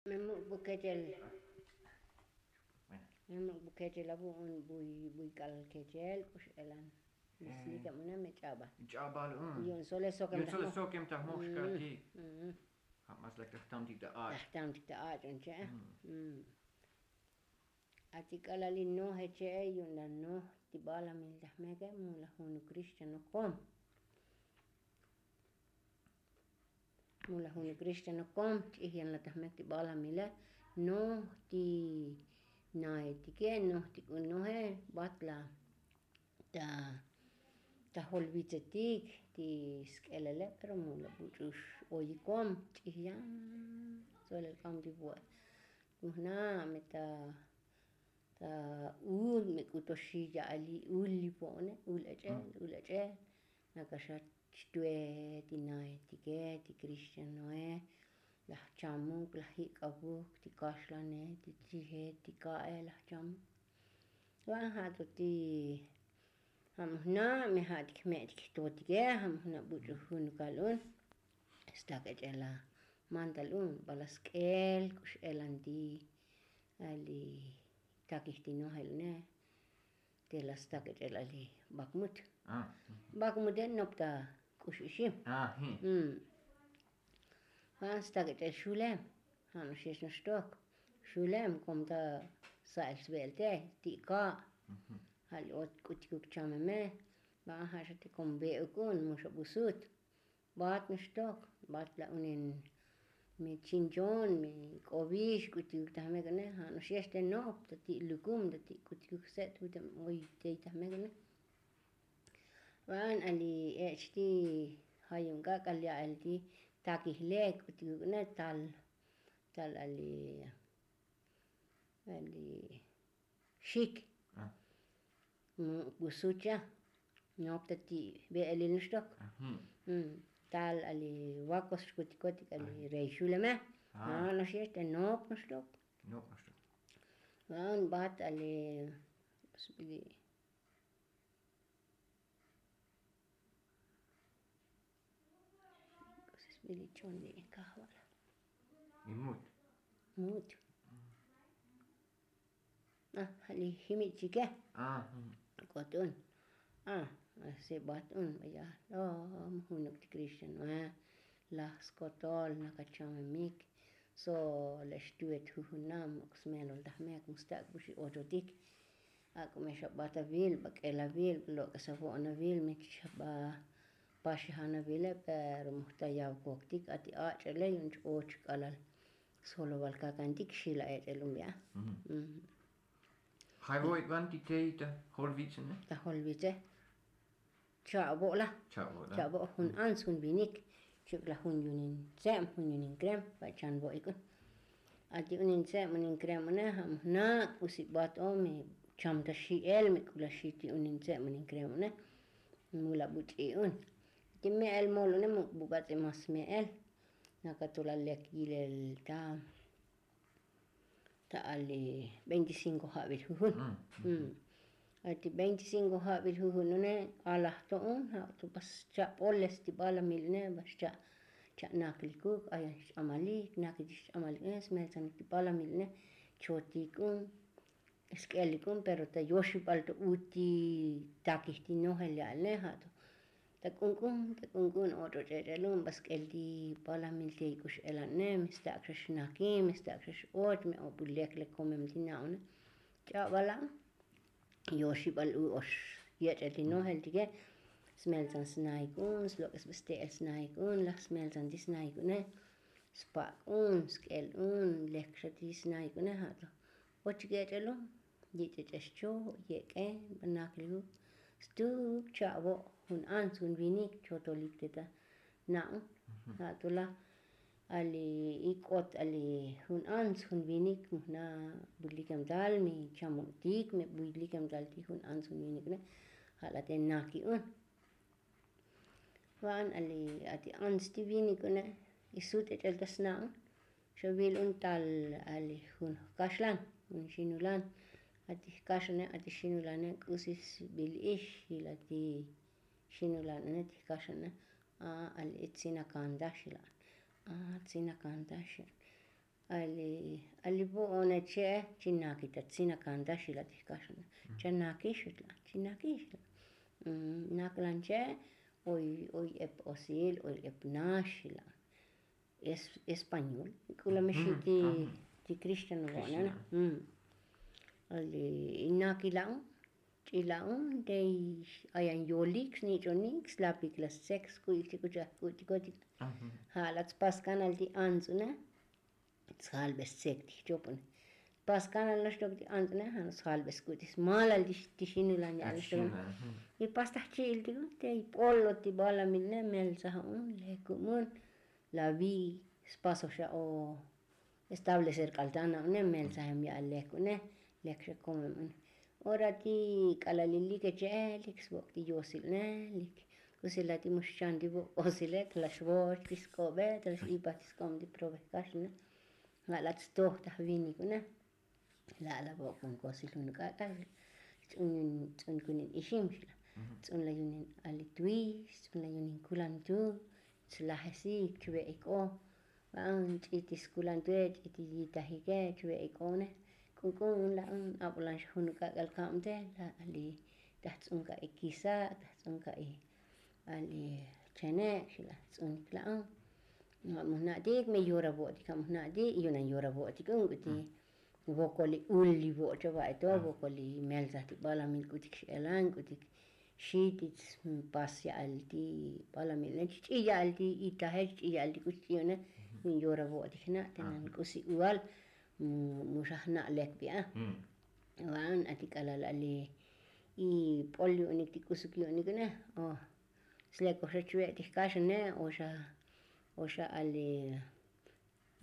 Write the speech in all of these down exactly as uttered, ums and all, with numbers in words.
Me muk' bu kechel. Me muk' bu kechel abu un buy buy k'al kechel k'ux elan. Mislikeb una me ch'abal. Ch'abal un. Yu'un sole sokem ta jmox kaltik. Ja' mas lak ta jtamtik ta ach'. Tajtamtik ta ach' un che'e. Ati k'alal li noje che'e yu'un la noj ti balamil ta jmeke mu la junuk rix chanok kom. Mu la junuk rix chanok kom ch'ij yan la ta jmek ti balamile. Noj ti naetike noj ti k'u noje bat la ta ta jolvitsetik ti sk'elele pero mu la buch'u x'oyikom ch'ij yan. Solel k'am ti vo'e. Mu jna' me ta ta ul me k'u to xi ya'al li ul li vo'one ul ech'el ul ech'el. Nakaxa xtue ti naetike ti krixtianoe. Laj chamuk laj jik'abuk ti kaxlane ti chije ti ka'e laj chamuk. Va'an ja' to ti ja' mu jna' me ja' ti kme'tik jtotike ja' mu jna' buch'u junukal un. Stak ech'el la mantal un bala sk'el k'ux elan ti ali takij ti nojel une. Te la stak ech'el ali bakmut. Bakmute nop ta k'ux ixim. Va'an stak ech'el xulem. Ja' no'ox yex no'ox tok xulem kom ta sa'el sve'el te ti' ka'. Ja' li ot k'utikuk chameme. Va'an ja' xa te kom ve'uk un mu xa busut. Bat no'ox tok bat la unen mi chinchon mi k'ovix k'utikuk ta jmek une ja' no'ox yex te nop ta ti' lukum ta ti' k'utikuk se't vutem oy tey ta jmek une. Va'an ali ech' ti jayum k'ak'al ya'el ti takij lek k'utikuk une tal tal ali ali xik. Mu busucha nop ta ti' ve'elil noxtok. Tal ali vakos xkutikotik ali rey xuleme. No'ox yex te nop noxtok. Va'an bat ali sbili. K'usi sbili ch'on li kajval. Imut. Mut. A li jimit chike. K'ot un. A si bat un baya lom junuk ti krixtian va. Laj skotol nakachamemik. So le xtuet jujunam ok smelol ta jmek mu stak' bu xi ochotik. Ak'o me xa ba ta vil ba k'el avil ba lok'es avo'on avil me xa ba paxi jan avile pero mu jta yav koktik ati ach'ele yu'un ch-och k'alal soloval kakantik xila ech'el un via. Jay vo'ik ban ti tey ta jolvitze ne ta jolvitze. Cha'vo' la. Cha'vo' jun antz jun vinik. Chuk la jun yunin tze'm jun yunin krem va' chan vo'ik un. Ati unin tze'm unin krem une ja' mu jna' k'usi bat o me cham ta xi'el me k'u la xi ti unin tze'm unin krem une. Mu la buch'i un ti me'el mol une mu bubatz'i mas me'el. Nakatol la lek yilel ta ta ali veinticinko ja'vil jujun. Ati veinticinko ja'vil jujun une alaj to un ja' to bas cha'pol este balamil une bas cha' cha' naklikuk ayan xch'amalik naklik xch'amalik une smeltsanik ti balamil une. Chotik un sk'elik un pero ta yoxibal to uti takij ti nojel ya'al une ja' to ta k'unk'un ta k'unk'un otro ch'ech'elun ba sk'el ti balamil ti k'ux elan ne me stak' xa xnaki me stak' xa x'och me o bu lek lek komem ti na'une. Ch'abala' yoxibal u ox yech'el ti nojel tike. Smeltsan snaik un slok'es ba ste'el snaik un laj smeltsan ti snaik une. Spak' un sk'el un lek xa ti snaik une ja' to. Ochik ech'el un yich'ech'ex cho' yek'e ba naklik u stuk cha'vo' jun antz jun vinik chotolik te ta na'un. Ja' to la ali ik'ot ali jun antz jun vinik mu jna' bulikem tal mi chamo'tik mi bulikem tal ti jun antz jun vinik une. Ja' la te naki un va'an ali ati antz ti vinik une. Isut ech'el ta sna'un. Xa vil un tal ali jun jkaxlan jun xinulan. Ati jkaxlane ati xinulane k'usi sbil ix xila ti xinulan une ti jkaxlane. A ali tzin akanta xila. A tzin akanta xila. Ali ali vo'one che'e chi nakita tzinakantaxila ti jkaxana. Chanakixila chinakixila. Naklanche oy oy ep osil oy ep naxila. Español k'ulamexi ti ti cristiano vo'nana. Ali inakila'on ch'ila'on tey ayan yolik snich'onik slapik la stsek sku'ik chik'uchaj k'u'tikotik. Ja' la tspas kanal ti ants'une sjalbe stsek ti jchopone. Pas kanal naxtok ti ants'une ja' sjalbe sk'u'tik smalal ti xinulan ya'al naxtokone. Y pas ta jchi'il tiko tey p'olo ti balamilne meltsajon lekumun. La vi spaso xa o establecer k'al ta na'une meltsajem ya'al leku'une. Lek xa komem une ora ti k'alalil like che'e lik svok' ti yosilne lik. K'usi la ti mu xchan ti vok' k'osile ta la xvoch ti sk'obe ta la x'ipaj ti sk'ob ti prove jkaxne. Ja' la tstoj ta jvinikune. La' la vok' kun kosil jun k'ak'a. Ts'un ts'un kunin ixim xla. Ts'un la yunin ali twis ts'un la yunin kulantu. Tslajesi chve'ik k'o. Va'an ch'i ti skulantue ch'i ti yitajike chve'ik k'o une. K'unk'un la' un ab'ulan xa jun k'ak'al kab'te la' ali. Taj ts'un ka'i kisa' taj ts'un ka'i ali chenek xla. Ts'unik la'on. Mujna'tik me yora vo'tik ja' mujna'tik yunan yora vo'tik un k'uti. Vokoli ul li vo'cha va'eto vokoli meltsaj ti balamil k'utik x'elan k'utik. Xi ti pas ya'al ti balamil ne chch'i ya'al ti itaje chch'i ya'al ti k'uch ch'iune. Yora vo'tik jna' tenan k'usi ual. Mu xa jna' lek bi'a. Va'an ati k'alal ali. Y p'ol yu'unik ti k'usuk yu'unik ne o slek oxa chve' ti jkaxane oxa oxa ali.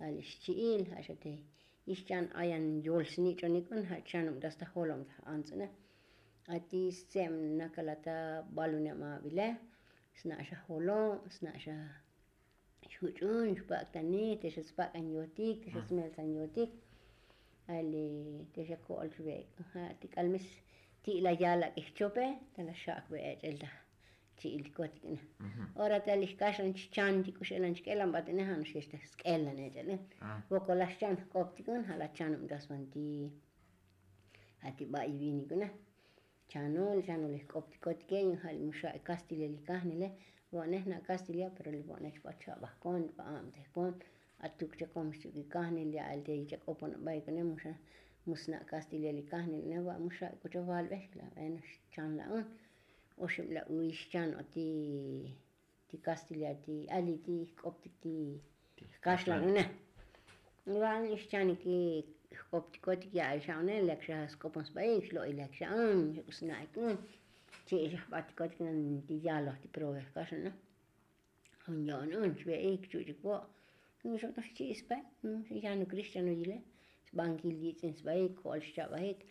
Ali xchi'il ja' xa te ixchan ayan yol snich'onik un ja' chanub ta sta jolom ta ants'une. Ati stse'em nakalata baluneb abile sna' xa jolo' sna' xa xjuch'un xpak'tanik te xa spak'an yotik te xa smeltsan yotik. Ali te xa ko'ol chve' ja' ti k'almes ti' la yalak'ej chope ta la xak'be ech'el ta. Chi'il ti kotik na. Ora ta li jkaxlan chchan ti k'uxelan chk'elan bat'ine ja' no'ox yech ta sk'elan ech'el. Vokol la xchan jk'optik un ja' la chanub ta svan ti. Ja' ti ba'i vinik una. Chanol chanol jk'optikotike yu'un ja' li muxa' kastilel li kajnile. Vo'ne jna' kastilia pero li vo'ne chba cha'baj kon chba ab'tej kon. Atuk chakom xchuk li kajnil ya'al te chak'opon ab'aik une muxa' musna' kastilel li kajnil une va' muxa' k'u chavalb'ej la' bueno xchan la' un. Oxib la' uy xchan o ti ti kastilia ti ali ti jk'optik ti jkaxlan une. Va'an xchanik jk'optikotik ya'al xa' une lek xa sk'opon sb'aik xlo'ilek xa' un xak'u sna'ik un. Chi' xa jb'atikotik nan ti yaloj ti prove jkaxlan une. Jun yo'on un xve'ik chuch'ik vo'. Jun xo'tox chi' sb'aik jun yanuk rix chano yile. Sb'ankil yitz'in sb'aik ko'ol xcha'b'ajik.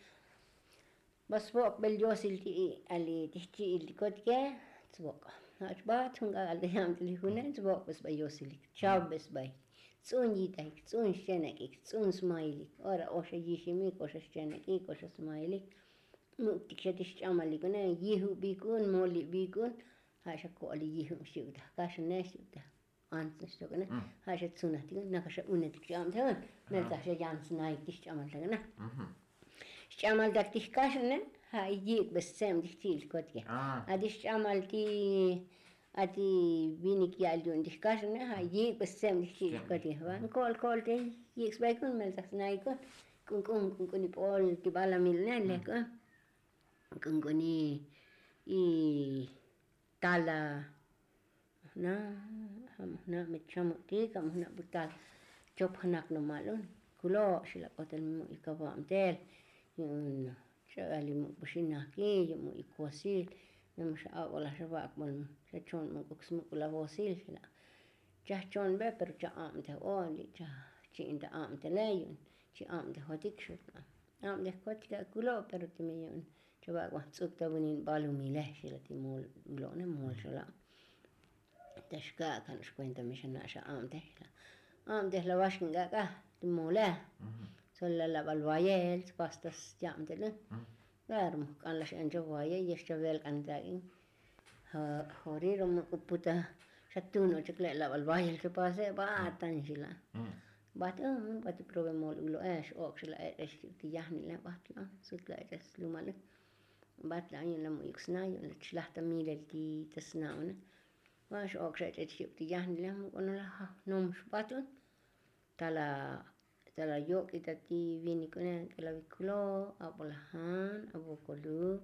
Ba svok' bel yosil ti ali ti jchi'il ti kotike. Svok' ja' chbat jun k'ak'al ta yabtel li june svok' be sba yosilik chav be sbaik. Ts'un yitajik ts'un xchenek'ik ts'un smailik ora oxa yiximik oxa xchenek'ik oxa smailik. Muk'tik xa ti xch'amalik une yijubik un molibik un. Ja' xa ko'ol li yijub xchi'uk ta jkaxane xchi'uk ta. Ants naxtok ne ja' xa tsunajtik naka xa unetik ch'ab'te un. Meltzaj xa yan snaik ti xch'amaltak ne. Xch'amaltak ti jkaxne ja' yik'be stse'm ti jchi'il ti kotike. Ati xch'amal ti ati vinik ya'al yu'un ti jkaxne ja' yik'be stse'm ti jchi'il ti kotike va ko'ol ko'ol te yik' sbaik un meltzaj snaik un. K'unk'un k'unk'un ip'ol ti balamil ne lek un. K'unk'un i tala jna' ja' mu jna' me chamutik ja' mu jna' butal. Chop jnak nomal un kulo' xilak'otel mu' ikavabtel. Yu'un cha'al li muk' buxinaki yu' mu' ikosil. Me mu xa ab'olaj xa va'akbol xa chon muk'uk smuk'ul avosil xila'. Chajchonbe pero cha ab'tej o li' chachi'in ta ab'tele yu'un. Chi ab'tejotik xu' ab'tejkotik akulo' pero teme yu'un. Chavak'baj ts'uk ta vunin balumile xila' ti mol ulo'ne mol xala'. Ta xka'kan xkuenta mi xana' xa ab'tej xila'. Ab'tej la vaxkin k'ak'a ti mole. Sol la lab'al vayel spas ta syab'tele. Pero mujk'an la x'en chavayel yex chavelk'an tak'in. Jori ro muk'u puta xa tun o chak le' lab'al vayel chapase' va'atan xila'. Bat un bat ti prove mol ulo'e x'ok' xa la ech'ex ti yajnile bat la sut la ech'ex slumale. Bat la yu'un la mu'yuk sna yu'un la chlaj ta milel ti ta sna une. Ba x'ok' xa ech'ex ti yajnile muk'ono la jnom xbat un. Tala tala yok'i ta ti vinik une k'ela vikulo. Abo la jan abo koluk.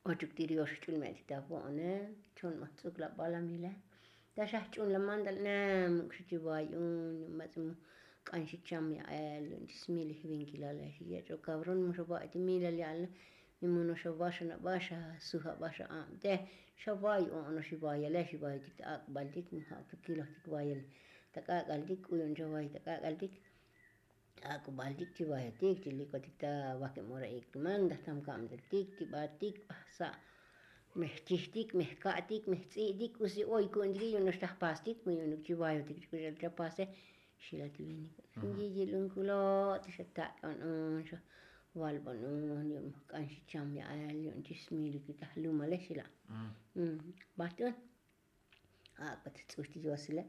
Ochuk ti riox jch'ul me'tik ta vo'one. Chon ma jtz'uk la balamile. Ta xa jch'un la mandal ne muk' xa chi vay un yu'un batz'e mu k'an xi cham ya'el yu'un chi smilij vinkilale xi yech'o kabron mu xa va'y ti milal ya'el ne. Mi muno xa vaxa na baxa suja baxa abte. Xa vay o'ono xi vayale xi vaytik ta ak'baltik mu ja' tu kilojtik vayal ta k'ak'altik k'u yu'un xa vay ta k'ak'altik. Ak'ubaltik chi vayotik chi likotik ta vakem ora ik'tuman ta jtam kabteltik ti batik bajsa'. Me jchijtik me jka'tik me jtz'i'tik k'usi oy ku'untiki yu'un noxtaj pastik mu yu'unuk chi vayotik chi k'uxel cha pase. Xila ti vinik yiyil un kulo' ti xa tak'on un xa valbon un yu'un k'an xi cham ya'el yu'un chi smiliki ta jlumale xila. Bat un. Ak'bat jtz'uj ti yosile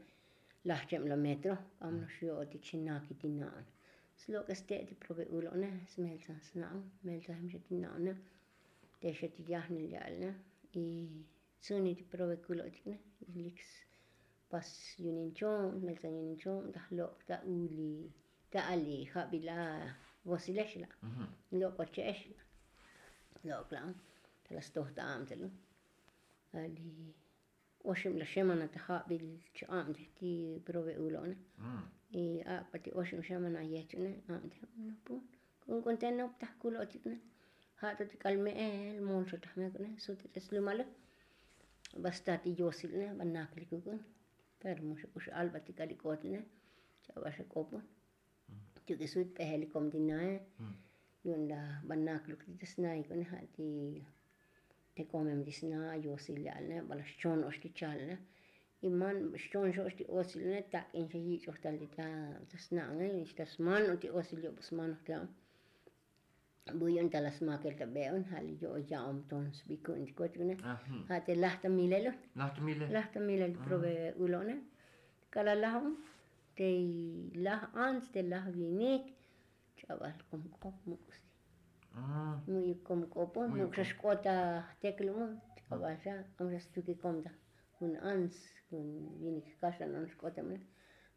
laj cheb la metro. K'am nox yo'otik xi naki ti na'on. Slok'es te' ti prove ulo'ne smeltsan sna'on. Meltsan jemxa ti na'one. Te xa ti yajnil ya'alne. Y tzuni ti prove kulo'tikne. Lik spas yunin cho'on smeltsan yunin cho'on ta jlok' ta uli ta ali jabil a vosilex la'. Lok' va che'ex la'. Lok' la'on ta la stoj ta abtel un. Ali oxib la xemana ta jabil ch'abtej ti prove ulo'ne. Y ak'bat ti oxib xemana yech'une abtej un nopun. K'unk'un te nop ta jkulo'tikne. Ja' to ti k'al me'el mol xotaj mek'une sut ti ch'es lumale. Ba sta ti yosilne ba naklikuk'un. Pero mu xa k'u x'albat ti k'al ik'otne. Ch'aba xa k'opun. Ti uk'e sut p'ejel ikom ti nae. Yu'un la ba nakluk ti ta sna ik'une ja' ti te komem ti sna yosil ya'alne ba la xchon ox ti chalne. Y man xchon xox ti osil ne tak'in xa yich'oj tal ti ta sna ne ta sman o ti osil yob sman ojte. Bu yu'un ta la smakel ta be'un ja' li yo'o ya'om ton sbikun ti kotik ne. Ja' te laj ta milel un. Laj ta milel prove ulo'ne. K'ala' laj un te laj ants te laj vinik. Ch'abal kom k'op muk' si. Mu'yuk kom k'opun muk' xa xk'ot ta jteklumun. Ch'abal xa k'am xa stukikom ta jun ants jun vinik jkaxan on xk'otem ne.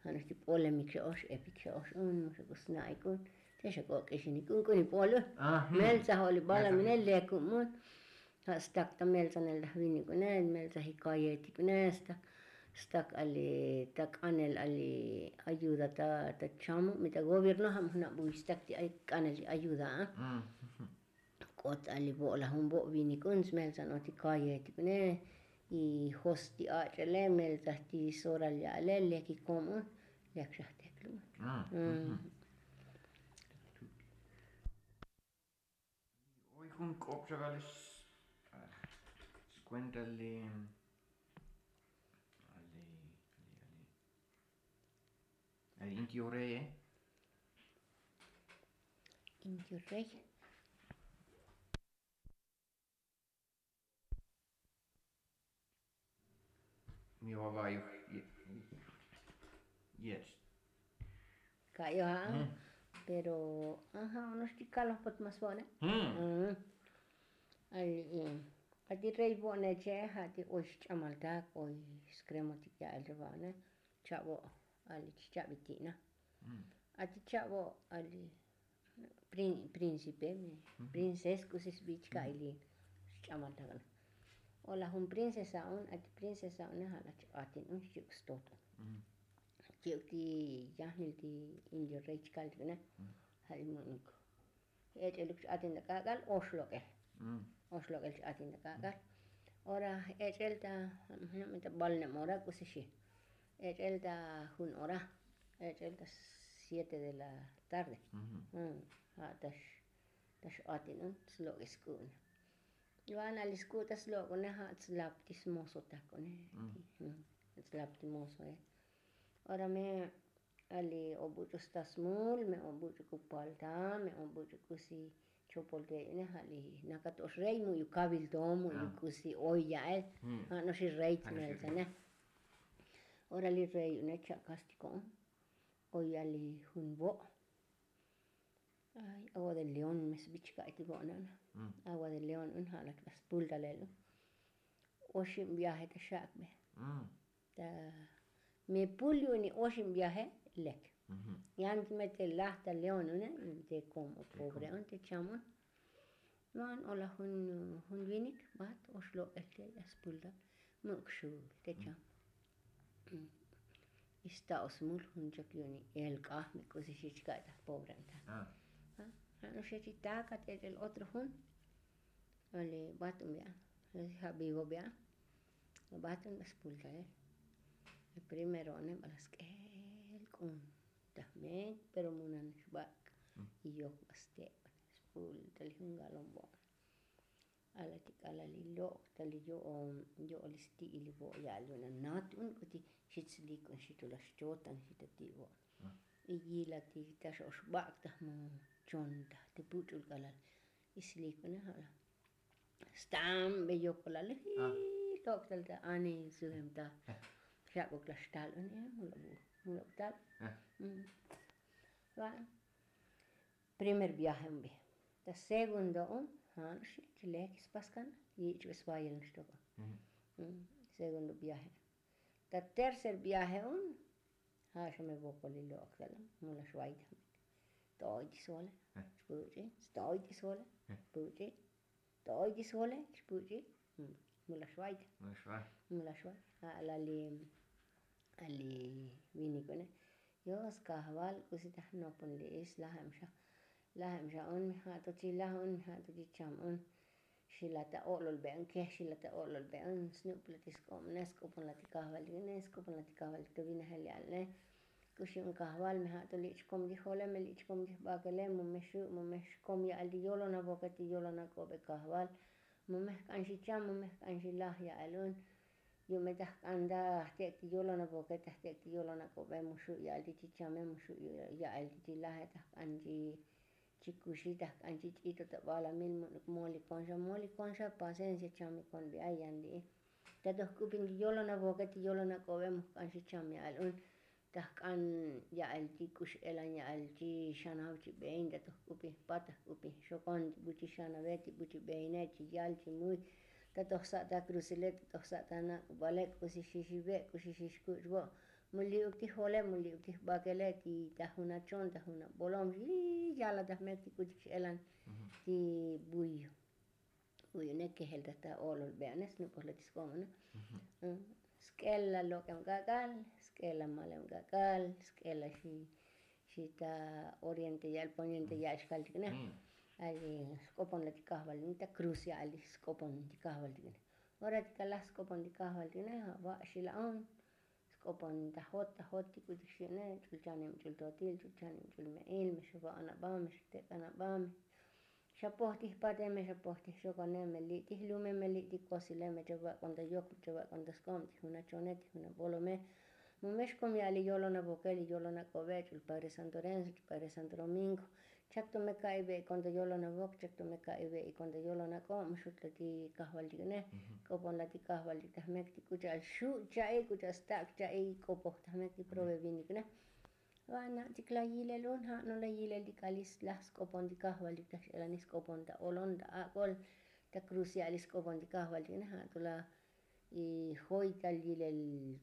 Ja' nox ti p'olemik xa ox epik xa ox un mu xa k'u sna'ik un. Te xa k'o k'ixinik un k'u ni p'ol un. Meltsa jo'li balamine lekumun. Ja' stak ta meltsanel ta jvinik une meltsa jikayetik une stak stak ali ta k'anel ali ayuda ta ta chamu mi ta gobierno ja' mu jna' buy stak ti ay k'anel ti ayuda a. K'ot ali bo' la jun bo' vinik un smeltsan oti kayetik une. Y jos ti ach'ele meltsa ti soral ya'ale leki kom un. Lek xa jteklu un. Oy jun k'op xa vale skuenta le ale ale ale ale inti oreye. Inti oreye. Mi vavayo. Yes. Ka'yo ja'. Pero aja' onox ti kaloj pot mas vo'ne. Ay ati rey vo'ne che' ja' ti oy xch'amal tak oy skremotik ya'el ri va'one. Cha'vo ali chcha'vi ti'na. Ati cha'vo ali prinsipe mi princes k'usi sbich ka'ili xch'amal tak. O la jun princesa un ati princesa une ja' la ch'atin un xchi'uk stot un. Chi'uk ti yajnil ti indio rey chkal ti une. Ja' li mu'nuk ech'eluk ch'atin ta k'ak'al oxlok'el. Oxlok'el ch'atin ta k'ak'al. Ora ech'el ta balnem ora k'usi xi. Ech'el ta jun ora. Ech'el ta siete de la tarde. Ja' ta x'atin un slok'es k'u une. Va'na li sk'u' ta slok'une ja' tslap ti smoso takune. Tslap ti mosoe. Ora me ali obuch'u sta smul me obuch'u k'u palta me obuch'u k'usi chopol te une ja' li nakato'ox rey mu'yu kabil to mu'yu k'usi oy ya'el. Ja' noxi rey tmeltane. Ora li rey une cha'kastiko'on. Oy ya'li jun vo'. Ay, agua de león me sbichka'ay ti vo'nana. Agua de león un ja' lach ba spultalel un. Oxib viaje ta xak'be. Ta mi pul yu'uni oxib viaje lek. Yan ti me te laj ta león une, te kom o pobre un te cham un. Man ola jun jun vinik bat oxlok'el te ya spultal. Muk' xul te cham. Ista osmul jun chok yu'uni elk'aj me k'usi xichka'y ta pobre un ta. Ja' noxechi taka te ch'el otro jun. Ole bat un bi'an. Ja' vivo bi'an. Bat un ba spultalel. Primero one bala sk'el k'un. Tajmek pero munan xbak'. Y yok ba ste' spultal jun galon vo'na. Ala ti k'alal li lok'tal li yo'ol li sti'il li vo' ya'al yu'un anat un k'uti xit slik un xit ula xchotan xit ati vo'. Y yila ti ta xoxbak' ta jmu chon ta ti puch'ul k'alal. Y slik un ala stambe yokolal li lok'tal ta ani sujem ta xak'uk la xtal un. Mula bu mula bu tal. Primer viaje un bi. Ta segundo un ja' no'ox chilek spaskan yich'be svayel no'ox toko. Segundo viaje. Ta tercer viaje un ja' xa me vokol li lok'tal un mula xvayta. To'oy ti svole. Xpuch'i. To'oy ti svole. Xpuch'i. To'oy ti svole xpuch'i. Mula xvayta. Mula xvay. Ja' la li a li vinik une. Yo skajval k'usi ta jnopon li ix lajem xa. Lajem xa un mi ja' to chi laj un mi ja' to chi cham un. Xila ta o'lol be un kej xila ta o'lol be un snupla ti sk'ob ne sk'opon la ti kajval tik ne sk'opon la ti kajval tik to vinajel ya'al ne. K'uxi un kajval me ja' to li' chkom yijole me li' chkom yijbakele mu me xu' mu me xkom ya'al ti yolon avoke ti yolon ak'obe kajval. Mu me jk'an xi cham mu me jk'an xi laj ya'al un. Yu'un me ta jk'an ta jtek' ti yolon avoke ta jtek' ti yolon ak'obe mu xu' ya'al ti chi chame mu xu' ya'al ti chi laje ta jk'an chi kuxi ta jk'an chi ch'ito ta balamil mu' molikon xa molikon xa pasencia cham ikon bi ay yan li'i. Ta to jk'upin ti yolon avoke ti yolon ak'obe mu jk'an xi cham ya'al un. Ta jk'an ya'el ti k'ux elan ya'el chi xanav chi bein ta to jk'upi jpat ta jk'upi xokon ti bu chi xanave ti bu chi beine chi yal chi muy. Ta to jsa' ta krusile ta to jsa' ta nak'ubale k'usi xixi ve' k'usi xixkuch vo'. Mu li'uk ti jole mu li'uk ti jbakele ti ta jun achon ta jun abolom xi yala ta jmek ti k'uchik x'elan ti buyo. Uyu ne kejel ta ta olol be'ane snuk'oj la ti sk'om ane. Sk'el la lok'em k'ak'al sk'el la malem k'ak'al sk'el la xi ta oriente ya'el poniente ya'el xkaltik ne. Ay sk'opon la ti kajvaltik ne ta kruz ya'el sk'opon ti kajvaltik ne. Ora ti kalaj sk'opon ti kajvaltik ne ava' xila'on. Sk'opon ta jot ta jot ti k'utik xi'ne ch'ul chanim ch'ul totil ch'ul chanim ch'ul me'il me xava'on aba me xatek'an aba me xapoj ti jpate me xapoj ti jxokone me li' ti jlume me li' ti kosile me chavak'on ta yok me chavak'on ta sk'ob ti jun achone ti jun abolome. Mu me xkom ya'al li yolon avoke li yolon ak'obe ch'ul padre santo renzo ch'ul padre santo domingo. Chak to me ka'iy ve'ikon ta yolon avok chak to me ka'iy ve'ikon ta yolon ak'ob mu xut la ti kajvaltik ne. K'opon la ti kajvaltik ta jmek ti k'u cha'al xu' cha'iy k'u cha'al stak' cha'iy k'opoj ta jmek ti prove vinik ne. Va na' chik la yilel un ja' no la yilel ti k'alis laj sk'opon ti kajvaltik ta x'elanij sk'opon ta olon ta ak'ol ta kruz ya'alij sk'opon ti kajvaltik ne ja' to la. Y joy tal yilel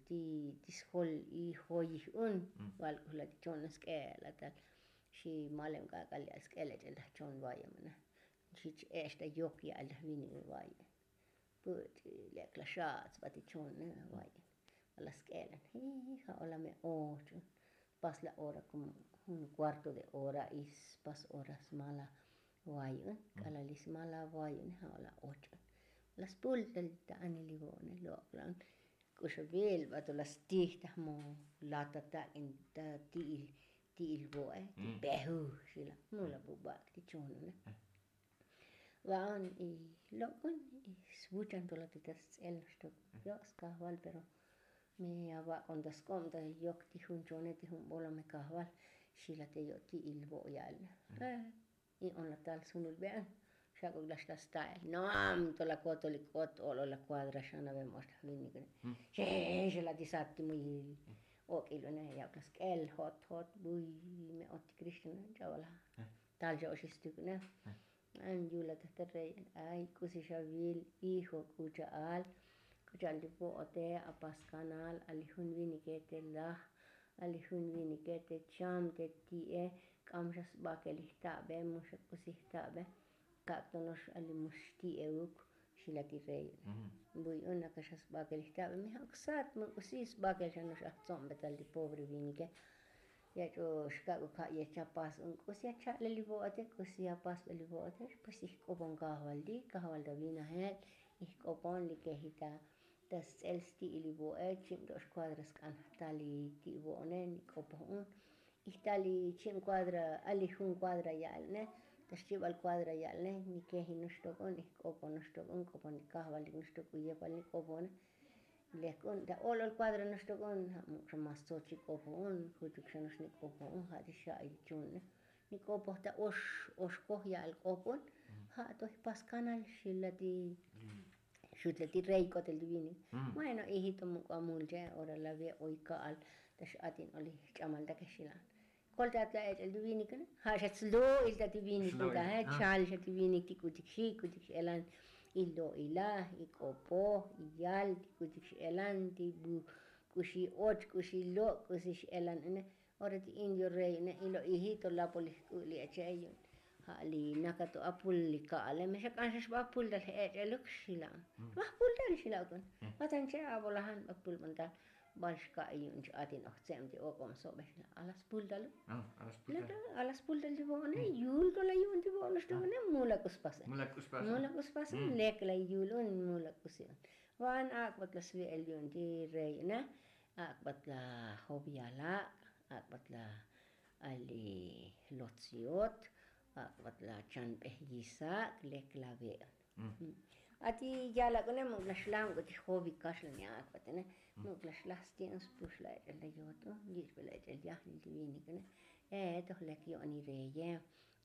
ti ti sjol y joyij un. Valk'uj la ti chon sk'el la tal xi malem k'ak'al ya'al sk'el la ch'el ta jchon vayem na. Xi ch-e'ex ta yok ya'al ta jvin vayem. Puch' lek la xats ba ti chon vayem. Ala sk'el la ja' ola me och un. Pas la ora komo jun kuarto de ora y spas ora smala vay un k'alal li smala vay un ja' ola och un. La spul tal ta anil li vo'ne lok'la un. K'uxavil ba to la stij ta jmo lata tak'in ta ti'il ti'il vo'e ti pejuj xila. Mu la bubak' ti chon une. Va'on y lok'on y svuchan to la ti ta sts'el noxtok. Yo' skajval pero me avak'on ta sk'ob ta yok ti jun chone ti jun bolome kajval. Xila te yo' ti'il vo' ya'al. Y on la tal sunul ve'an. Xak'ok la xta sta'el no am to la kotol li k'ot ol o la kuadra xanave mo'ox ta jvinik. Xexe la ti sat ti muyil. Ok'il une ya' k'as k'el jot jot buy me otik rixtana ch'abala. Tal xa oxistuk une. An yula ta ta rey. Ay k'usi xa vil hijo k'u cha'al. K'u cha'al ti vo'ote apas kanal ali jun vinike te laj, ali jun vinike te cham te ti'e. K'am xa sbakel ijtabe mu xa k'usi ijtabe. Kak' to no'ox ali mu xti'euk. Xila ti rey. Buy un naka xa sbakel ijtabe mi ja' ksat mu k'usi sbakel xa no'ox ajtzo'mbe tal ti pobre vinike. Ya ch'o xkak' u ka' ya chapas un k'usi ya cha'le li vo'ote k'usi ya pasbe li vo'ote. Pues ijk'opon kajval ti kajval ta vinajel. Ijk'opon li keji ta ta sts'el sti'il li vo'e chib to' xkuadra sk'an jtal li ti' vo'one nik'opoj un. Ijtal li chib kuadra ali jun kuadra ya'al ne. Ta xchibal kuadra ya'al ne nikeji noxtok un ijk'opon noxtok un k'opon li kajval li noxtok u yepal nik'opone. Lek un ta olol kuadra noxtok un ja' muk' xa mas tsochi k'opoj un juchuk xa no'ox nik'opoj un ja' ti xa'i chun ne. Nik'opoj ta ox oxkoj ya'al k'opon. Ja' to jpas kanal xila ti xutle ti rey k'otel ti vinik. Bueno ijito muk' amul che ora la ve' oy ka'al. Ta x'atin oli jch'amal ta kexila'an. Kolta atla ech'el ti vinik ja' xa tslo'il ta ti vinik. Chal xa ti vinik ti k'utik xi k'utik x'elan. Ilo'ila ik'opoj iyal ti k'utik x'elan ti bu k'uxi och k'uxi lo' k'usi x'elan une. Ora ti indio rey ne ilo ijito lapol ijk'u' li eche' yu'un. Ja' li naka to apul li ka'ale me xa k'an xa xba apul tal j'ech'eluk xila'an. Xba apul tal xila'uk un. Batan che' abolajan ba apul bantal. Bal xka'i yu'un ch'atin ojtze'em ti ok'ob sobe xila'an ala spul taluk. Ala spul tal ti bo'one yul to la yu'un ti bo'one xtobone. Mula k'uspase mula k'uspase lek la yul un mula k'usi un. Van ak'bat la svi'el yu'un ti rey ne. Ak'bat la jovialak'. Ak'bat la ali lotsiot. Ak'bat la chanbej yisak lek la ve'. Ati yalak' une muk' la xlaj muk' ti jovi kaxlan ya' ak'bat une. Muk' la xlaj sti'un spux la ech'el la yot un yich'be la ech'el yajnil ti vinik une. E toj lek yo'ni reye.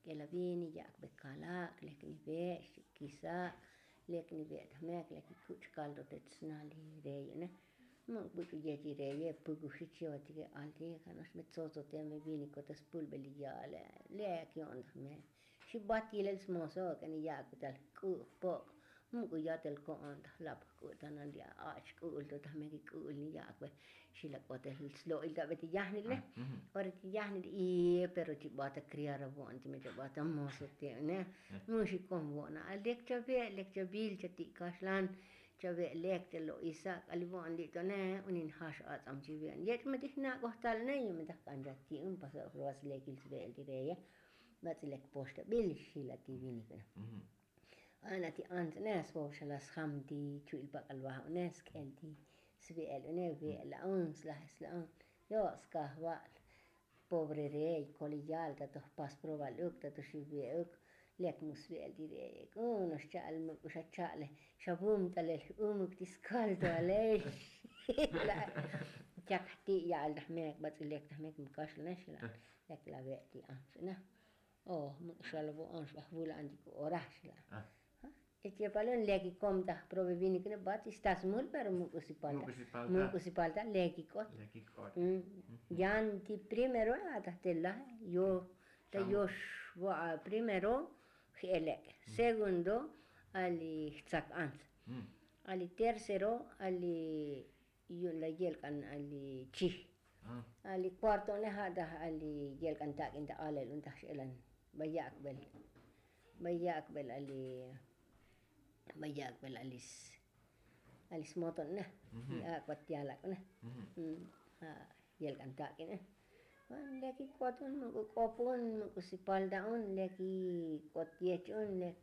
K'ela vini yak'be kalak' lek ni ve' xchikisa'. Lek ni ve' ta jmek lek ikuch' kalto te tsna li rey une. Muk' buch'u yech li reye pukuxi chivatike alti kano'ox me tzotzote me vini kote spulbe li ya'ale. Lek yo'on ta jmek. Xibat yilel smoso k'eni yak'be tal k'u' jpok'. Muk' u yatel ko'on ta jlap jk'u' tanal li a'ach k'u'ul to ta jmek ik'u'ul ni yak'be. Xila k'otel slo'il ta be ti yajnil ne. Ora ti yajnil i pero chibata kriar avo'on ti me chibata moso ti ne. Mu xikon vo'ona a lek chave' lek chavil chati' kaxlan. Chave' lek chalo'isa k'ali vo'on li' to ne unin jax atz'am chivi'on yech' me ti jnak'oj tal ne yu' me ta jk'an chati'un pasa' jroba slekil sve'el ti reye. Bats'i lek poxtabil xila ti vinik ne. A'an ati ants ne svov xa la sjam ti chu'il pak'al vajune sk'el ti svi'el une ve'la'un slaj sla'un. Yo' skajval. Pobre rey koli yal ta to jpas probal uk ta to xivi'e uk. Lek mu svi'el ti rey ek un no'ox cha'al muk' u xa cha'le xa vum talel umuk ti skal to alel. Chak jti' ya'al ta jmek bats'i lek ta jmek mu kaxlanex la. Lek la ve' ti ants ne. O muk' xal vo'on xba jvula'an ti k'u' ora xla. Echepalun lek ikom ta jprobe vinik ne bat ista smul pero muk' u sipalta. Muk' u sipalta lek ik'ot. Yan ti primero a ta jtela yo ta yox vo'a primero. J'elek' segundo ali jtzak ants. Ali tercero ali yu'un la yelk'an ali chij. Ali kuarto ne ja' taj ali yelk'an tak'in ta alel un taj x'elan. Ba yak'bel ba yak'bel ali ba yak'bel ali smoton ne. Li ak'bat yalak' ne. Ja' yelk'an tak'in ne. Lek ik'ot un muk' u k'op un muk' u sipalta un lek ik'ot yech un lek.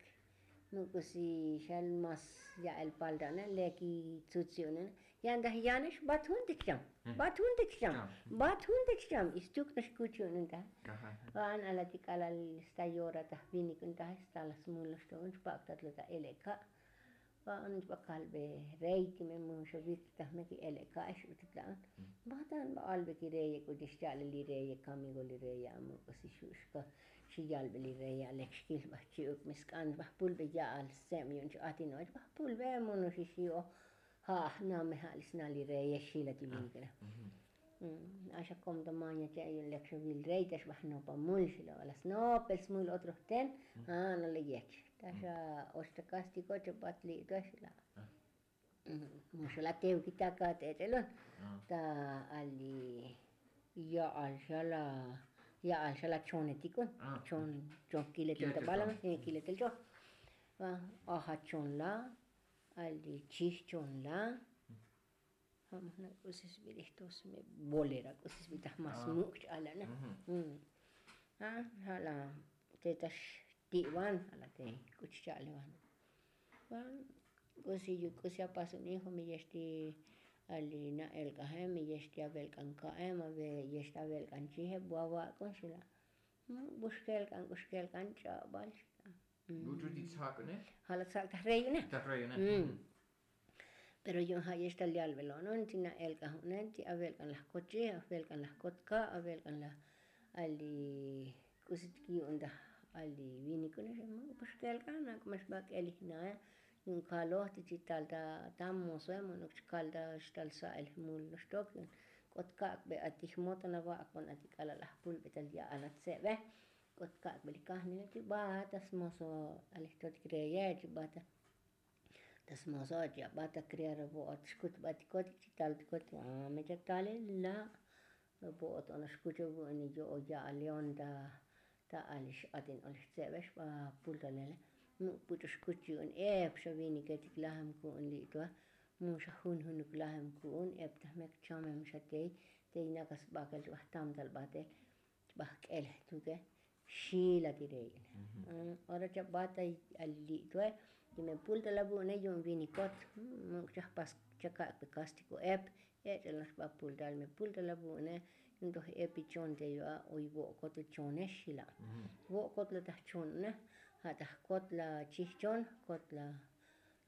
Muk' u si xal mas ya'el palta une lek itsutsi une. Yan taj yanex bat jun tik cham. Bat jun tik cham. Bat jun tik cham istuk nax kuchi une taj. Va'an ala ti k'alal sta yora taj vinik un taj sta la smul nax to un chpak tat la ta eleka'. Va'an chpak kalbe rey ti me muxovik taj me ki eleka' ix utit la'an. Batan ba albe ki reye k'u ti xcha'le li reye kamigo li reye amuk' u si xu' xka. Xi yalbe li reye alek xkil ba chi'uk me sk'an ba jpulbe ya'al stseb yu'un chi atin och ba jpulbe munuxi xi o. Ja' jname ja' li sna li reye xila ti vinik re. Axa kom ta maña che' yu'un lek xa vil rey ta xbaj nopa mul xila' bala snopel smul otro jten. A no le yech ta xa och ta kastiko che' bat li'to xila'. Muxala' tevkita' ka t'ech'elun ta ali ya'al xa la ya'al xa la chonetikun. Chon chon kiletel ta bala kiletel chon. Ajachon la ali chijchon la. Ja'majna' k'usi sb'ilij tos me bolera k'usi sb'itaj mas muk' ch'alana. Ja' la te tax ti'van ja' la te k'uchi cha'levan. K'usi yu k'usi apas un hijo mi yex ti ali na elk'ajem mi yex ti avelk'an ka'em ayex ti avelk'an chijeb bu avak'un xila'. Bux kelk'an k'ux kelk'an ch'abal xila'. Buch'u ti tzak'une. Ja' la tzak'taj rey une. Pero yu'un ja' yex tal yalbel o'non ti na elk'aj unen ti avelk'an laj kot chij avelk'an laj kot ka' avelk'an laj ali k'usi tik yu'un taj ali vinik une xema' pax kelk'an ak'o max bak'el ijnae. Yu'un kaloj ti chi tal ta ta mosoe mo'nok chi kal ta xtal sa'el jmul noxtok yu'un k'ot kak'be ati jmoton ava'akbon ati k'alal ajpulbe tal ya'al atsebe. K'ot kak'be li kajnile chi bata smoso alejtotik reye chi bata ta smoso' chi abat ta kriar vo'ot xkut batikotik chi taltikotik. Ame cha talel la' vo'ot ono xkuch ovu'uni yo'o ya'al león ta ta ali x'atin oli jtse'bex ba pultalele. Muk' puch'u xkuch yu'un ep xa viniketik lajem ku'un li'tua. Mu xa junjunuk lajem ku'un ep ta jmek chamem xa tey tey nakas bakel chi ba jtamtal batel. Chbaj k'el jtuke xila ti rey. Ora chabata ali li' tue ti me pulta la vu'une yu'un vinikot. Muk' chajpas chakak' pe kastiko ep ech'el noxba pulta ali me pulta la vu'une. Yu'un toj epi chon te yu'a oy vo'kot uchone xila'. Vo'kot la taj chon une ja' taj kot la chijchon kot la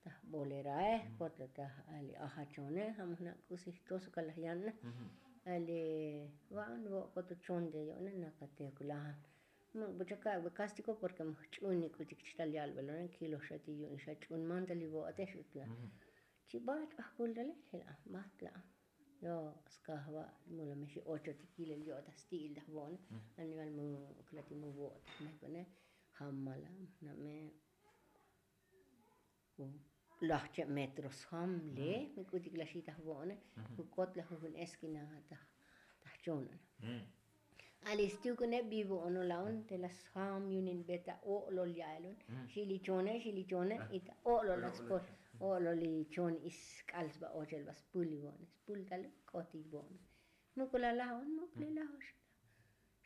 taj bolerae kot la taj ali ajachone. Jamaj na' k'usi jtoso kalaj yan ne ali va'an vo'kot uchon te yo'ne nakatevkulajan. Muk' bu chaka'be kastiko porke muk' ch'un ni k'utik chital yalbelone kiloj xa ti yu'un xa ch'un mantal ivo'otex utla. Chi bach' bajpultale jila' bat la'. Yo' skaj va' mula mexi ocho ti kilel yo'taj sti'il taj vo'one. Animal muk' la ti mu vo'otaj mekone jamala' name laj che' metro sjam le. Mi k'utik laj xitaj vo'one. Jukot laj jujun eskina taj taj chon. Ali stukune bi vo'ono la'on te laj sjam yunin be ta o'lol ya'elun. Xili chone xili chone ita o'lol laj spol. O'lol li chon isk'al sba ochel ba spul li vo'one spul tal k'ot li vo'one. Muk' la laj on muk' li laj ox.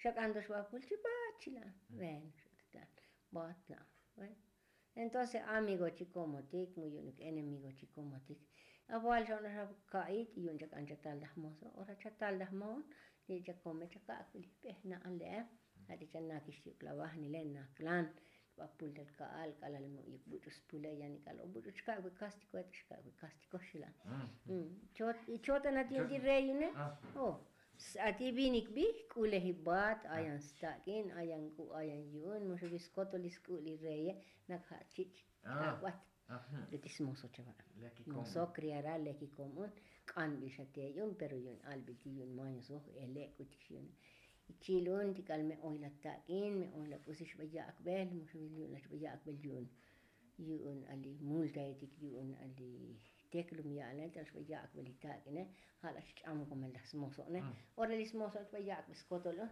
Xak'antox ba pul chi bat chi la. Bueno xuttan bat la. Entonces amigo chi komotik mu yu'unik enemigo chi komotik. Aval xa onoxa ka'i ti yu'un chak'an chatal daj moso ora chatal daj moon. Li' chakome chaka'ak bili p'ej na'an le'e. Ati chanakix ti uk'la vajnile naklan. Ba pultal ka'al k'alal mu yuk buch'u spule yanik'al o buch'u chaka'ak bi kastiko ati chaka'ak bi kastiko xila'. Chot i chotan ati yu'un ti rey une. O ati vinik bi k'ulej ibat ayan stak'in ayan k'u' ayan yu'un muxu bi skotol isk'u' li reye. Nak ja' chich' k'ak'bat. Ti smoso chava' moso kriara leki komun. K'anbil xa te yu'un pero yu'un albil ti yu'un maño soj ele' k'utik xi yu'un. Ichil un ti k'al me oy la tak'in me oy la k'usi xba yak'bel muxu bi yu'un la xba yak'bel yu'un. Yu'un ali multaetik yu'un ali teklum ya'ale tal xba yak'bel itak'ine. Ja' la xch'am komel laj smoso'ne. Ora li smoso'ne xba yak'bel skotol un.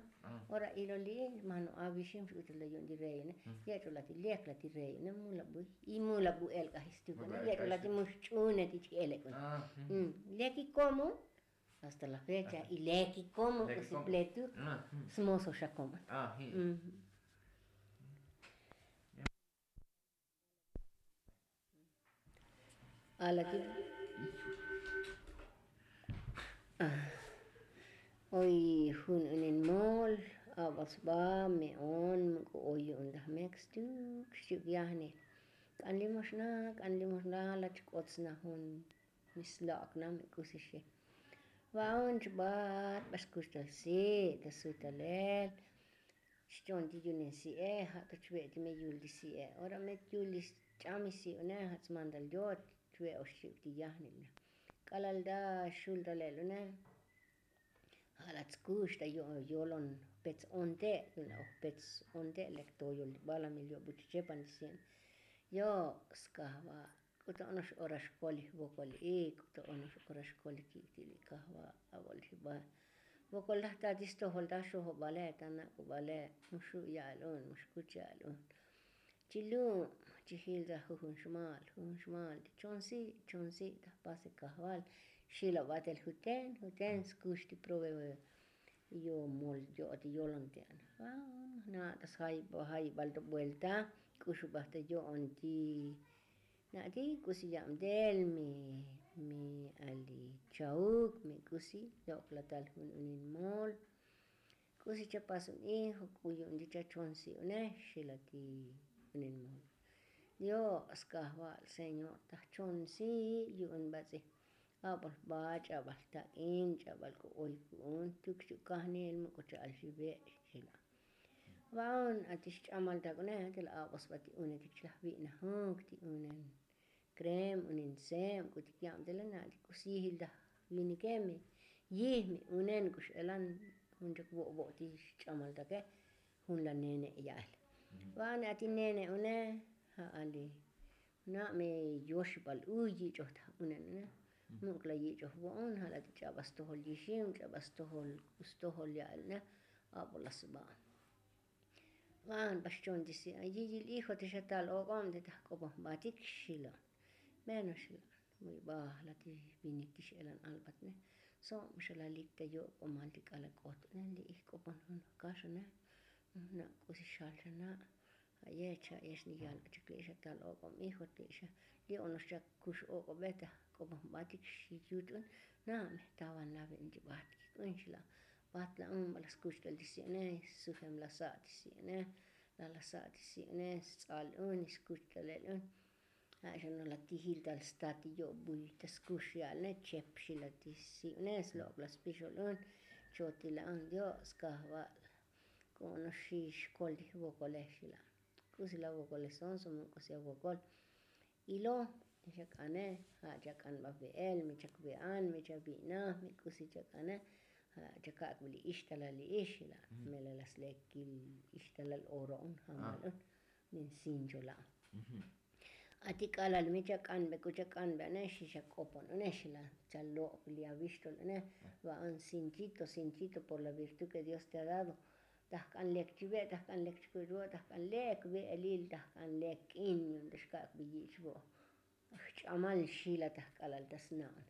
Ora ilo li mano avixim x'uchul la yu'un ti reyune. Yech'ol la ti lek la ti reyune mu la buy. Y mu la bu elk'aj istukune yech'ol la ti mu xch'une ti ch'elek'une. Leki komun. Hasta la fecha y leki komun k'usi pletu. Smoso xa komun. Ala ti oy jun unin mol. Abal sba me'on muk' oy yu'un laj mek stuk xchi'uk yajnil. K'an limoxna k'an limoxna la chk'ot sna jun. Mi slok' na mi k'usi xi. Va'on chbat ba skuxtal si' ta sutalel. Xchon ti yu'un in si'e ja' to chve' ti me yul ti si'e ora me yul ti ch'am isi' une ja' tsmantal yot. Chve' ox chi'uk ti yajnil na k'alal ta xul talel une. Ala tskux ta yolon jpetz onte', yun la' jpetz onte' lek toyol balamil yo'buch chepan ti si'en. Yo' skajval, k'uta ono'ox ora xkol li jvokoli'i, k'uta ono'ox ora xkol li kik'ti' li kajval, a'bol li jbal. Vokol ta ti stojol ta xojobale, ta nak'ubale, mu xu' ya'al un, mu xkuch ya'al un. Chi lum, chi jil ta jujun xmal, jujun xmal, chonsi', chonsi' ta jpase kajval. Xila batel juten, juten skux ti prove yo' mol yo'ot yolon ti an. Na' ta sjayibal ta buelta, k'uxubaj ta yo'on ti. Na' ti k'usi yabtel mi, mi ali chauk, mi k'usi lok'la tal jun unin mol. K'usi chapas un hijo, k'u yu'un ti chachonsi' une, xila ti unin mol. Dios kajval, señor, ta jchonsi' yu'un bats'i. A'bal jba, ch'abal jtak'in, ch'abal k'u oy ku'un, tuk chu' kajnil, mu k'u cha'al xive', xila. Va'un, a ti xch'amal tak une, ti la a'bal sba ti unetik, chi laj vi'najuk ti unen krem, unen sem, k'utik yabtele, na' ti k'usi yijil ta vinike, mi yij, mi unen k'u x'elan jun chak vo'vo' ti xch'amal take, jun la nene' ya'el. Va'un, a ti nene' une, ja'al li na' me yoxibal uy yich'oj ta unen une. Muk' la yich'oj vo'on, ja' la ti ch'abal stojol yixim, ch'abal stojol, k'u stojol ya'el une, a'bol la sba. Va'un, ba xchon ti si' yiyil hijo, ti xa tal ok'ob, ti ta jk'opon jbatik, xila. Bueno, xila, muy baj la ti vinik ti x'elan albat une. Sob xa lalik ta yok'omal ti k'ala' k'ot une, li' ijk'opon jun jkax une. Na' k'usi xal xa na'. Aye' cha' yex ni yal chak li' xa tal ok'ob hijo, ti xa li' ono'ox chak kux ok'obe ta jk'opon jbatik xi yut un. Na' me jtawan la ve'en ti bat kik'un, xila. Bat la un, ba la skuch tal ti si' une, sujem la sa' ti si' une, la la sa' ti si' une, sts'al un, skuch talel un. Ja' xa no la tijil tal sta ti yo'buy ta skux ya'al une, chep, xila ti si' une, slok'la spixol un, chotila un, Dios kajval. K'u ono'ox xi xkol ti jvokole, xila. K'usi la vokole, sonso, mu k'usi avokol. Ilo, mi chak'ane, ja' chak'an ba ve'el, mi chak ve'an, mi chavi'naj, mi k'usi chak'ane, ja' chakak' vi li ixtalal li ix, xila. Melel la slekil ixtalal oro un, jamal un, min sincho la. A ti k'alal mi chak'anbe, k'u chak'anbe une, xi xak'opon une, xila, chalok' li avixtol une, va'un sinchito, sinchito por la virtud que Dios te ha dado. Ta jk'an lek chive', ta jk'an lek chikuch vo', ta jk'an lek ve'elil, ta jk'an lek k'in, yu'un ta xkak' vi yich' vo'. Jch'amal, xila, ta jk'alal ta sna'on.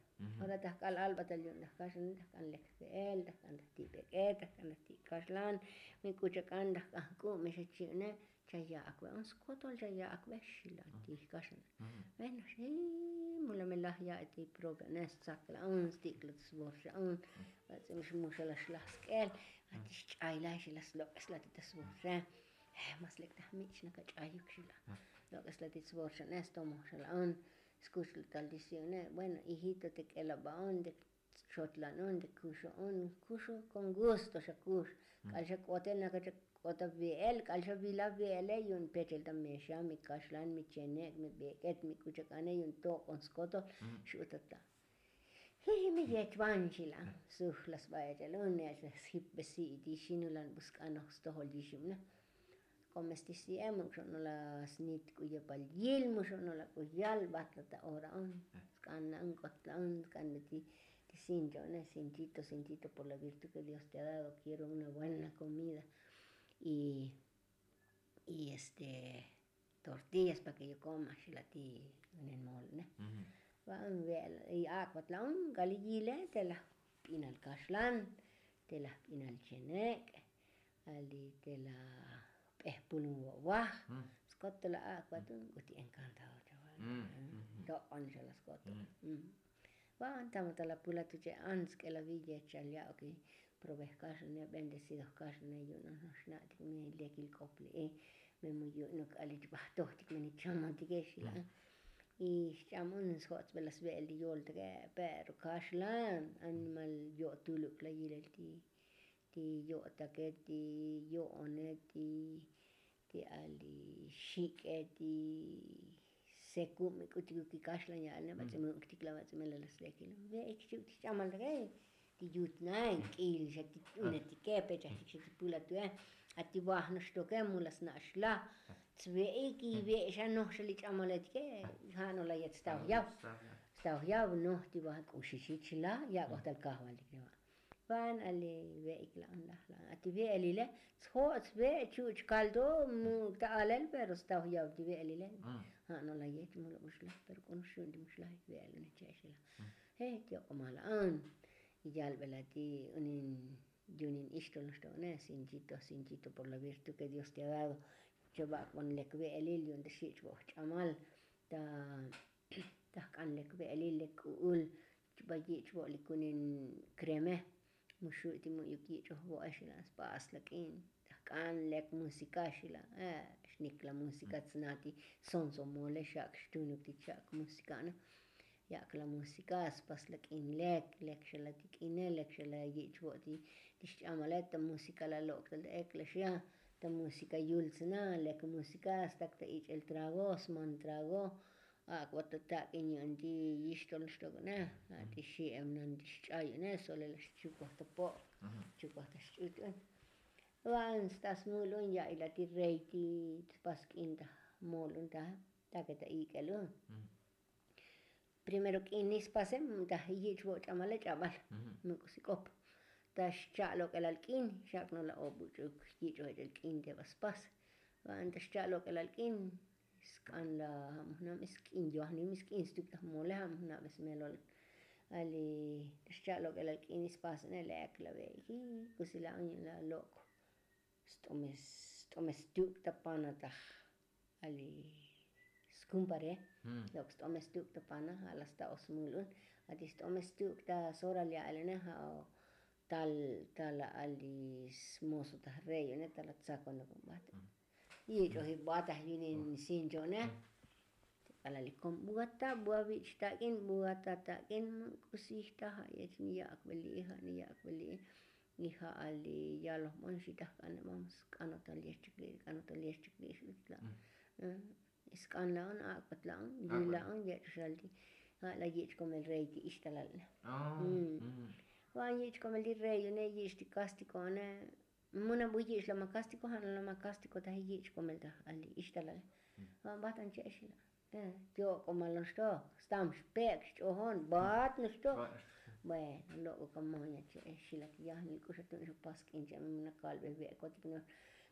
Ora ta jk'al albatal yu'un ta jkaxlan, ta jk'an lek jve'el, ta jk'an ta jti' bek'e, ta jk'an ta jti' kaxlan, mi k'u chak'an, ta jk'an jk'u', mi xa chi' une, chaya'ak ve un skotol, chaya'ak ve, xila ti jkaxlan. Bueno, xi, mula mi laj ya'i ti probe une, stsakla un, stik'la ta svorxa un, bats'i mi xmuxala xlaj sk'el, a ti xch'aylay, xila, slok'esla ti ta svorxa. Mas lek ta jmich' xnaka ch'ayuk, xila. Lok'esla ti svorxa une, stomoj xa la'un, skuch tal ti si' une, bueno, hijito, te k'el aba un, te xotlan un, te kuxo un, kuxo, con gusto xa kux. K'al xa k'ote, naka chak k'ot ave'el, k'al xa vil ave'ele, yu'un pechel ta mexan, mi kaxlan, mi chenek', mi bek'et, mi k'u chak'ane, yu'un tok'on skotol, xu' ta ta. Jiji, mi yech van, xila. Sujla sba ech'el un, ech' la sjipbe si' ti xinulan, bu sk'anoj stojol yixim une. K'o mes ti si'e, mu xo'nol la snit k'u yepal yil, mu xo'nol la k'u yal, bat la ta ora un. Sk'an la un, k'ot la un, sk'an la ti, ti sincho une, sinchito, sinchito por la virtud que Dios te ha dado, quiero una buena comida. Y, y este, tortillas pa' que yo coma, xila ti unen mol une. Va'un, ve'el, y ak'bat la un, k'ali yile, te laj p'inal kaxlan, te laj p'inal chenek', ali te laj p'ej pulun vo'vaj, skotol la ak'bat un, k'uti encantado chava. Tok'on xa la skotol. Va'un, tamo ta la pula tu che' an sk'el avi yech chal ya'uk probe jkaxlane, bendecido jkaxlane, yu'un ono'ox xna'tik mi lekil k'op li'i, me mu yu'unuk k'al ich bajtojtik me ni chamotike, xila. Y xch'am un, sjotsbe la sve'el ti yoltake, pero kaxlan, animal yo'tuluk la yilel ti, ti yo'take, ti yo'one, ti, ti ali xik'e, ti sekub, mi k'utik u kikaxlan ya'al une, bats'i mu uktik la, bats'i melel la slekil. Ve'ik xchi'uk ti xch'amaltake. Ti yut nae k'il xa ti t'unetike pechaj chik xa ti pulatu'e. Ati baj noxtoke mula sna' xlaj. Tsve'ik ive' xa noj xa li ch'amaletike. Ja' no la yet stav yav. Stav yav noj ti baj k'uxixit xlaj yak'oj tal kajvaltik. Van ali ve'ik la'an laj la'an ati ve'elile. Tsjo' tsve' chuch kaldo mu ta alel pero stav yav ti ve'elile. Ja' no la yet mula bu xlaj pero k'o nox xun ti mu xlaj ve'el une che' xlaj. Je ti ok'oma la'an. Yalbela ti unin yunin ixtol noxto'one sinchito sinchito por la virtud ke dios te ha dado. Cheva'akbon lek ve'elil yu'un ta xich' vo'oj ch'amal ta jk'an lek ve'elil lek k'u'ul. Ba yich' vo'lik unin kreme. Mu xu' ti mu'yuk yich'oj vo'ex ila'an spas la k'in ta jk'an lek musika xila'an. Xnik la musika tsna ti sonso mole xak' xtunuk ti chak' musika na. Yak' la musika spas la k'in lek lek xa la ti k'ine lek xa la yich' vo' ti xch'amale ta musika la lok' ta ek la xia. Ta musika yul tsna lek musika stak ta ich'el trago sman trago. Ak'bat ta tak'in yu'un ti yixtol xtok'ne. A ti xi'em nan ti xch'a yu'une sole la xchukoj ta po'. Chukoj ta xch'ut yu'un. Van sta smul un ya'i la ti rey ti spas k'in ta mol un ta take ta ik'el un. Primero k'in ni spase ta yich' vo' ch'amale ch'abal. Muk'usi k'op ta xcha' lok'elal k'in xak' no la obuch'uk yich'oj ech'el k'in te ba spas. Van ta xcha' lok'elal k'in sk'an la ja' mujnam sk'in yojnim sk'in stuk ta mole ja' mujnab smelol. Ali ta xcha' lok'elal k'in spas ne lek la ve' ji kusi la año la lok'. St'ome st'ome stuk' ta pana taj. Ali skumpare lok' st'ome stuk' ta pana ja' la sta osmul un. Ati st'ome stuk' ta soral ya alene ja' tal tal ali smoso taj rey une tal atsakonok un bat. Yich'oj ibataj yunin sincho'ne. K'alal ikon buata bua vich' tak'in buata tak'in. K'usij ta ja' yech ni yak'beli'i ja' ni yak'beli'i. Y ja'al li yalojbon xitaj k'an vamos k'anotal yech chikli' k'anotal yech chikli' xutla'. Sk'an la'on ak'bat la'on li la'on yech' xal ti ja' la yich' komel rey ti ixtalal. Van yich' komel ti rey une yich' ti kastiko one. Muna bu yich' lama kastiko ja' no lama kastiko taj yich' komel taj al li ixtalale. Van batan che'ex la. Yo'ko' malon xtok stam xpek' xch'ojon bat noxtok. Bueno lok'o kamoña che'ex xilak yajnil k'uxatun ixopas k'in che'em muna kalbe ve'kotik nox.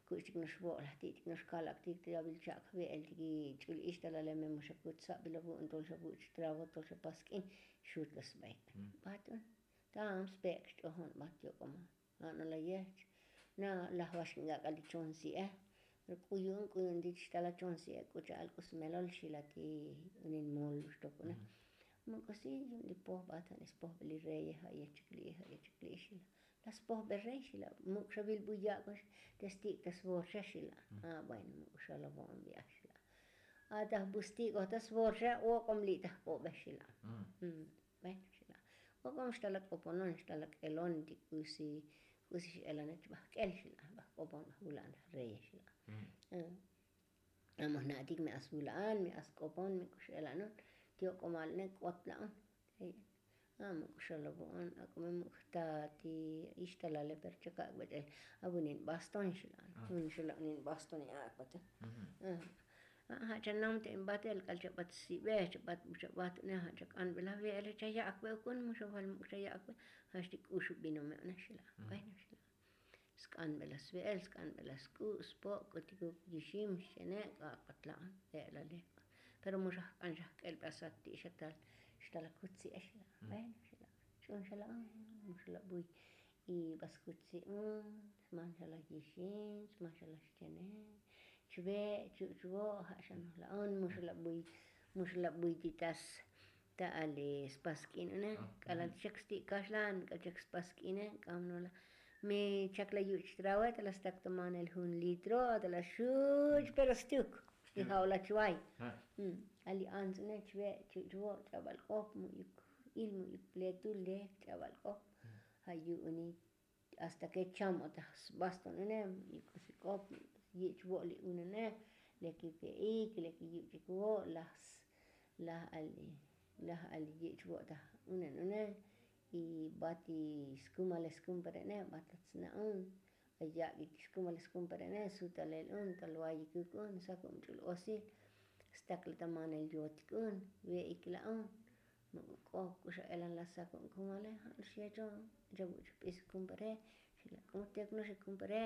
Kuch'tik nox vo'lajti'tik nox kalaktik ta yavil chak' ve'eltik ch'ul ixtalale me muxakut sabil avu'un tol xavuch' travo tol xapas k'in. Xut la sbaik bat un tam spek' xch'ojon bat yo'ko mal. A'no la yech na laj vax k'ak'al ti chon si'e. K'u yu'un k'u yu'un ti chtal achon si'e k'u cha'al k'u smelol xila ti unin mol xtokuna. Muk'usi yu'un ti pojbat jan ispojbel li reye ja' yech chikli'i ja' yech chikli'i xila. La spojbel rey xila muk' xa vil bu yak'ox. Te stik' ta svorxa xila. A bueno muk' xa la vo'on vi'aj xila. Ataj bu stik'oj ta svorxa ok'om li' ta jk'obe xila. Bueno xila. Ok'om xtal ak'oponon xtal ak'elon ti k'usi k'usi x'elane chba jk'el xila. Ba jk'opon ba jvula'an ta jreye xila. Amo jna'tik me as vula'an me as k'opon me k'u x'elanon. Ti ok'omal ne k'ot la'on. Amo k'u xalavo'on ak'o me muk' jta ti ixtalale pero chakak' bet'el. Avunin baston xila'an un xila'nin baston iak'bate. Ja' cha nam te in batel k'al chabat sibe chabat bu chabat une ja' chak'anbela ve'ele chayak'be ukun muxaval muk' chayak'be. Ja' xti k'uxubino me une xila. Bueno xila. Sk'anbela sve'el sk'anbela sk'u' spo' k'utikuk yixim xchene' k'ak'bat la'an. E'lale pero mu xa jk'an xa jk'elbesat ti' xa tal xtal akutsi' ex la'an. Bueno xala' ch'un xala'an mu xala' buy. Y ba skutsi' un sman xala' yixim sman xala' xchene' chve' chuch' vo' ja' xa noj la'an mu xala' buy. Mu xala' buy ti tas ta ali spas k'in une. K'alal chek sti' kaxlan k'al chek spas k'ine k'am no la. Mi chak la yuch' trawe ta la stak ta manel jun litro ta la xuch pero stuk. Y ja' o la chvay. Ali ants une chve' chuch' vo' ch'abal k'op mu'yuk il mu'yuk pletul lek ch'abal k'op. Ja' yu'uni hasta ke cham o ta sbaston une mu'yuk k'usi k'op yich' vo' li unene. Leki pe'ik leki yuch'ik vo' laj laj ali laj ali yich' vo' ta unen une. Y bat ti skumales kumpere'ne bat ta tsna'un. Ayak'ik ti skumales kumpere'ne sutalel un tal wayikuk un sakub ch'ul osil. Stakla ta manel yotik un ve'ik la'un. Muk' k'o k'uxa elan la sakub kumale ja' no'ox yecho. Chabuch p'is kumpere xila k'utik no'ox kumpere.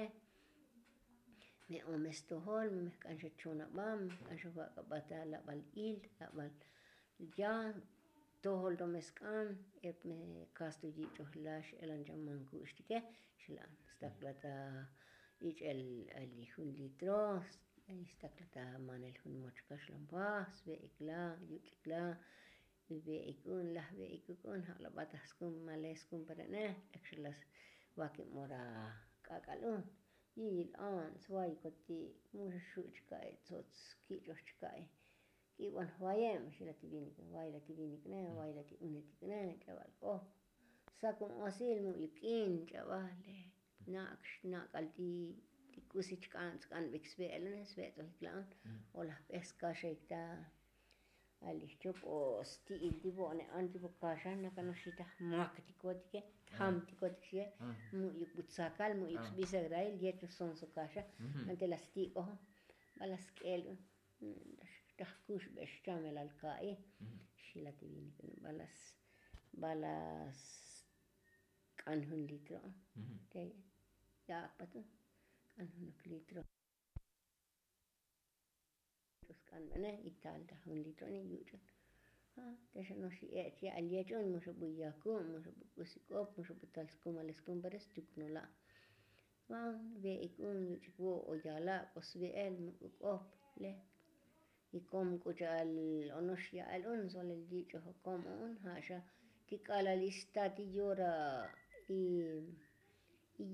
Me omes tojol me k'an xa chonabam k'an xa vak'abat ta labal il labal. Ya tojol to me sk'an ep me kastu yich'oj lax elan cha manku'xtike. Xila'an stakla ta ich'el ali jun litro. Stakla ta manel jun moch kaxlan paj sve'ik la yuch'ik la. Ve'ik un laj ve'ikuk un ja' la bataj skum males kumpere'ne. Ek xa la vakib ora k'ak'al un. Yiyil an svayikot ti' mu xa xu' chka'i tsots kich'oj chka'i. K'ibon jvayeb xila ti vinik vayla ti vinikne vayla ti unetikne. Ch'abal k'op sakun osil mu' yuk'in ch'abale. Nak'al ti k'usi chk'an tsk'anbik sve'el une sve'tsojik la'un. O laj p'es kaxaik ta ali jchop o sti'il ti vo'ne an ti vo kaxa nakano'ox xitaj maktikotike. Jamtikotik xie. Mu' yuk bu tsakal mu' yuk sbisaj rail yet no'ox sonso kaxa. Ante la stik'ojo bala sk'el un. Taj kuxbe' xchamelal ka'i. Xila ti vinik bala sk'an jun litro. Te ya'ak pat un k'an junuk litro. Sk'anbene y tal ta jun litro ni yuch'un. Te xa no'ox ech ya'al yech'un mu xa bu yakub mu xa bu k'usi k'op mu xa bu tal skumales kumperes chuk no la'. Van ve'ik un yuch'ik vo' o yala' k'o sve'el mu k'u k'op le. Y kom k'u cha'al ono'ox ya'al un solel yich'oj kom un ja' xa ti k'alal ista ti yora. Y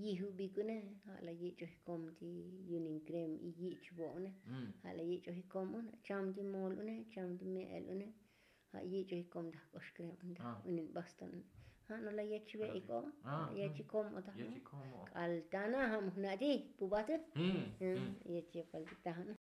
yijubik une ja' la yich'oj kom ti yunin krem y yich vo' une. Ja' la yich'oj kom un cham ti mol une cham ti me'el une. Ja' yich'oj kom taj k'ox krem un taj unin bastan une. Ja' no la yech ve'ik o yech kom o taj k'al tana ja' mu jna' ti pubat. Yech yepal ti taj un.